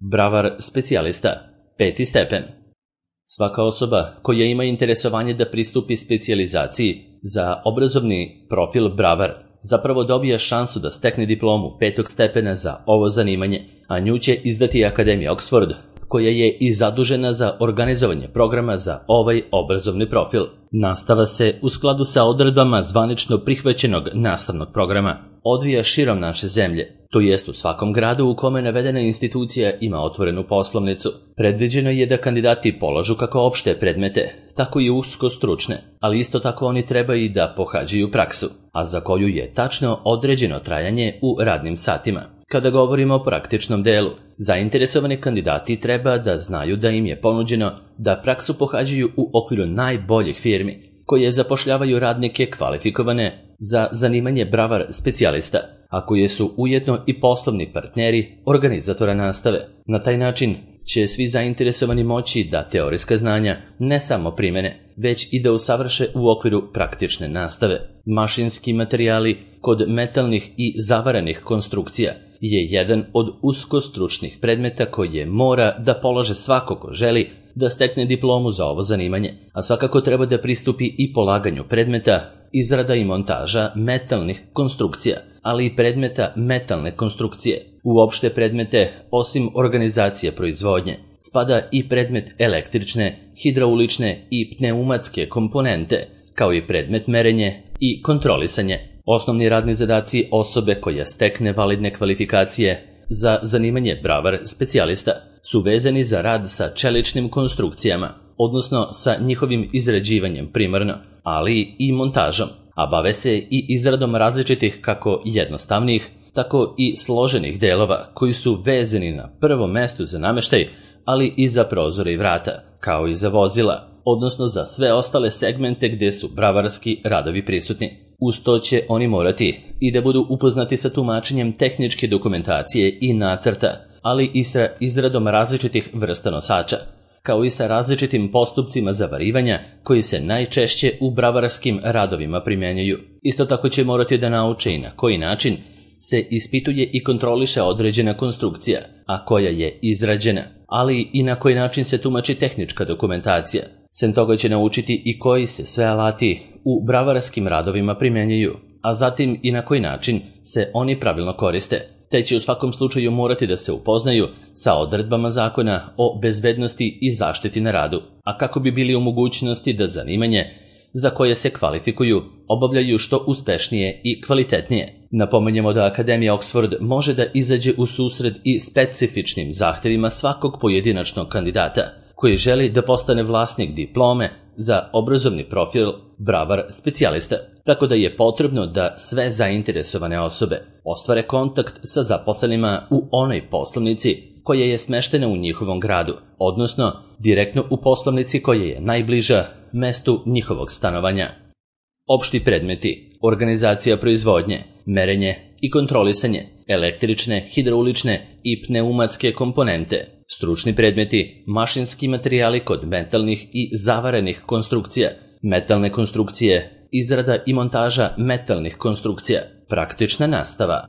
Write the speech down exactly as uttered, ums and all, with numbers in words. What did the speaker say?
Bravar specijalista, peti stepen. Svaka osoba koja ima interesovanje da pristupi specijalizaciji za obrazovni profil bravar zapravo dobija šansu da stekne diplomu petog stepena za ovo zanimanje, a nju će izdati Akademija Oxford, koja je i zadužena za organizovanje programa za ovaj obrazovni profil. Nastava se, u skladu sa odredbama zvanično prihvaćenog nastavnog programa, odvija širom naše zemlje, to jest u svakom gradu u kome navedena institucija ima otvorenu poslovnicu. Predviđeno je da kandidati polažu kako opšte predmete, tako i usko stručne, ali isto tako oni treba i da pohađaju praksu, a za koju je tačno određeno trajanje u radnim satima. Kada govorimo o praktičnom delu, zainteresovani kandidati treba da znaju da im je ponuđeno da praksu pohađaju u okviru najboljih firmi, koje zapošljavaju radnike kvalifikovane za zanimanje bravar specijalista, a koje su ujedno i poslovni partneri organizatora nastave. Na taj način će svi zainteresovani moći da teorijska znanja ne samo primene, već i da usavrše u okviru praktične nastave. Mašinski materijali kod metalnih i zavarenih konstrukcija je jedan od uskostručnih predmeta koje mora da polože svako ko želi da stekne diplomu za ovo zanimanje, a svakako treba da pristupi i polaganju predmeta izrada i montaža metalnih konstrukcija, ali i predmeta metalne konstrukcije. U opšte predmete, osim organizacije proizvodnje, spada i predmet električne, hidraulične i pneumatske komponente, kao i predmet merenje i kontrolisanje. Osnovni radni zadaci osobe koja stekne validne kvalifikacije za zanimanje bravar specijalista su vezani za rad sa čeličnim konstrukcijama, odnosno sa njihovim izrađivanjem primarno, ali i montažom, a bave se i izradom različitih kako jednostavnih, tako i složenih delova koji su vezani na prvom mestu za nameštaj, ali i za prozore i vrata, kao i za vozila, odnosno za sve ostale segmente gde su bravarski radovi prisutni. Uz to će oni morati i da budu upoznati sa tumačenjem tehničke dokumentacije i nacrta, ali i sa izradom različitih vrsta nosača, kao i sa različitim postupcima zavarivanja koji se najčešće u bravarskim radovima primjenjuju. Isto tako će morati da nauče i na koji način se ispituje i kontroliše određena konstrukcija, a koja je izrađena, ali i na koji način se tumači tehnička dokumentacija. Sem toga će naučiti i koji se sve alati u bravararskim radovima primjenjuju, a zatim i na koji način se oni pravilno koriste, te će u svakom slučaju morati da se upoznaju sa odredbama zakona o bezbednosti i zaštiti na radu, a kako bi bili u mogućnosti da zanimanje za koje se kvalifikuju obavljaju što uspešnije i kvalitetnije. Napomenjemo da Akademija Oxford može da izađe u susret i specifičnim zahtevima svakog pojedinačnog kandidata koji želi da postane vlasnik diplome za obrazovni profil bravar specijalista, tako da je potrebno da sve zainteresovane osobe ostvare kontakt sa zaposlenima u onoj poslovnici koja je smeštena u njihovom gradu, odnosno direktno u poslovnici koja je najbliža mestu njihovog stanovanja. Opšti predmeti, organizacija proizvodnje, merenje i kontrolisanje, električne, hidraulične i pneumatske komponente, stručni predmeti, mašinski materijali kod metalnih i zavarenih konstrukcija, metalne konstrukcije, izrada i montaža metalnih konstrukcija, praktična nastava.